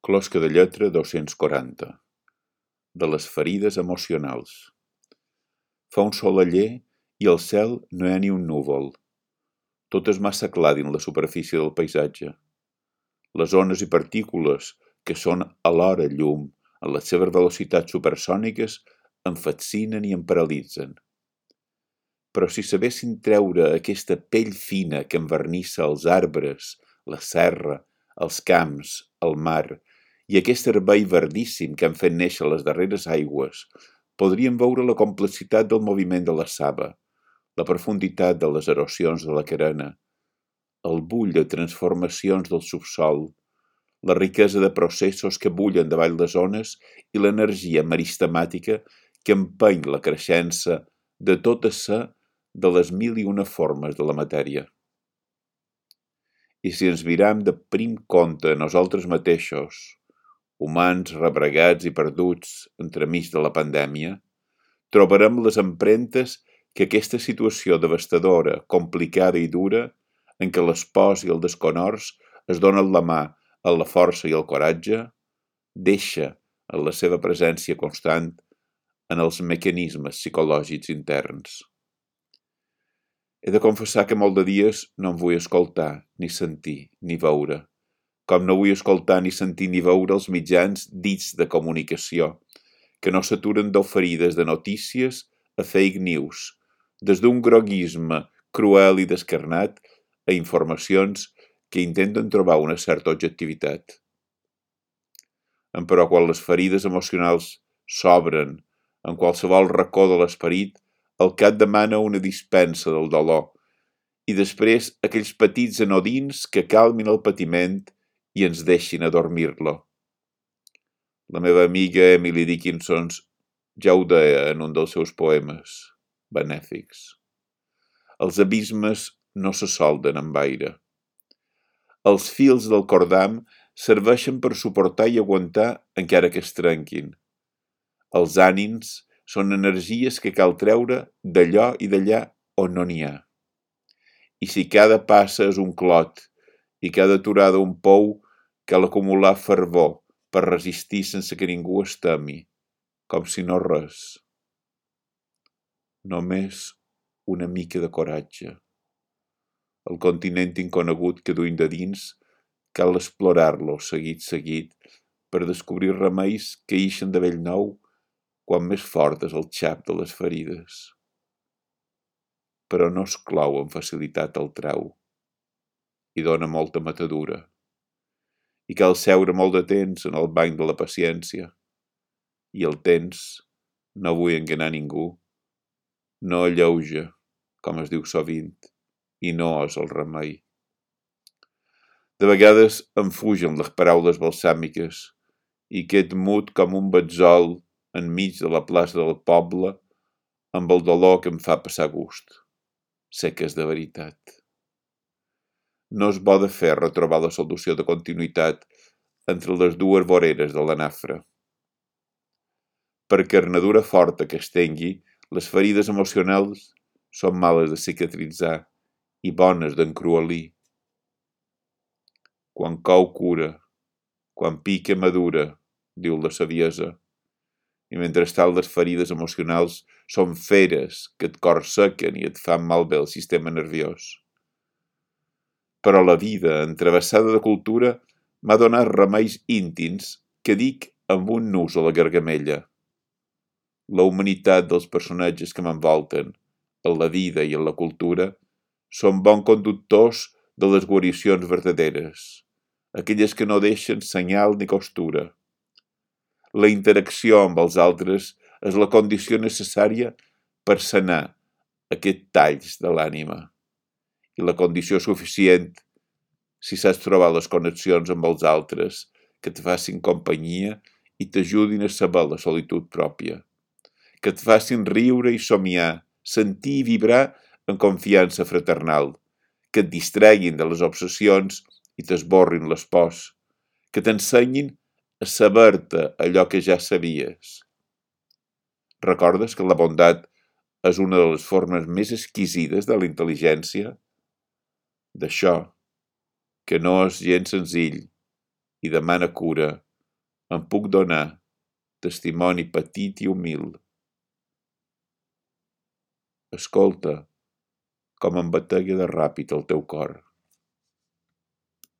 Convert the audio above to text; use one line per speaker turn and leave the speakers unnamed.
Closca de lletra 240. De les ferides emocionals. Fa un sol aller i al cel no hi ha ni un núvol. Tot és massa clar dins la superfície del paisatge. Les ones i partícules, que són alhora llum, en les seves velocitats supersòniques, em fascinen i em paralitzen. Però si sabessin treure aquesta pell fina que envernissa els arbres, la serra, els camps, el mar, i aquest herbei verdíssim que han fet néixer les darreres aigües, podríem veure la complexitat del moviment de la saba, la profunditat de les erosions de la carena, el bull de transformacions del subsol, la riquesa de processos que bullen davall les ones i l'energia meristemàtica que empeny la creixença de tota sa de les mil i una formes de la matèria. I si ens miram de prim compte a nosaltres mateixos, humans rebregats i perduts entremig de la pandèmia, trobarem les empremtes que aquesta situació devastadora, complicada i dura, en què les pors i el desconhors es donen la mà a la força i el coratge, deixa en la seva presència constant en els mecanismes psicològics interns. He de confessar que molt de dies no em vull escoltar, ni sentir, ni veure, com no vull escoltar ni sentir ni veure els mitjans dits de comunicació, que no s'aturen d'oferir des de notícies a fake news, des d'un groguisme cruel i descarnat a informacions que intenten trobar una certa objectivitat. Però quan les ferides emocionals s'obren en qualsevol racó de l'esperit, el cap demana una dispensa del dolor i després aquells petits anodins que calmin el patiment i ens deixin adormir-lo. La meva amiga Emily Dickinson ja ho deia en un dels seus poemes benèfics. Els abismes no se solden amb aire. Els fils del cordam serveixen per suportar i aguantar encara que es trenquin. Els ànims són energies que cal treure d'allò i d'allà on no n'hi ha. I si cada passa és un clot i cada aturada un pou, cal acumular fervor per resistir sense que ningú es temi, com si no res. Només una mica de coratge. El continent inconegut que duim de dins cal explorar-lo seguit per descobrir remeis que ixen de bell nou quan més fort és el xap de les ferides. Però no es clou amb facilitat el trau i dona molta matadura. I cal seure molt de temps en el banc de la paciència. I el temps, no vull enganar ningú, no alleuja, com es diu sovint, i no és el remei. De vegades em fugen les paraules balsàmiques i qued mut com un betzol enmig de la plaça del poble amb el dolor que em fa passar gust. Sé que és de veritat. No és bo de fer retrobar la solució de continuïtat entre les dues voreres de la nafra. Per carnadura forta que es tingui, les ferides emocionals són males de cicatritzar i bones d'encruelir. Quan cou cura, quan pica madura, diu la saviesa. I mentrestant les ferides emocionals són feres que et corsequen i et fan malbé el sistema nerviós. Però la vida, entravessada de cultura, m'ha donat remeis íntims que dic amb un nus a la gargamella. La humanitat dels personatges que m'envolten, en la vida i en la cultura, són bons conductors de les guaricions verdaderes, aquelles que no deixen senyal ni costura. La interacció amb els altres és la condició necessària per sanar aquest talls de l'ànima i la condició suficient si saps trobar les connexions amb els altres que et facin companyia i t'ajudin a saber la solitud pròpia, que et facin riure i somiar, sentir i vibrar en confiança fraternal, que et distreguin de les obsessions i t'esborrin les pors, que t'ensenyin a saber-te allò que ja sabies. Recordes que la bondat és una de les formes més exquisides de la intel·ligència? D'això, que no és gens senzill i demana cura En puc donar testimoni petit i humil. Escolta com em batega de ràpid el teu cor.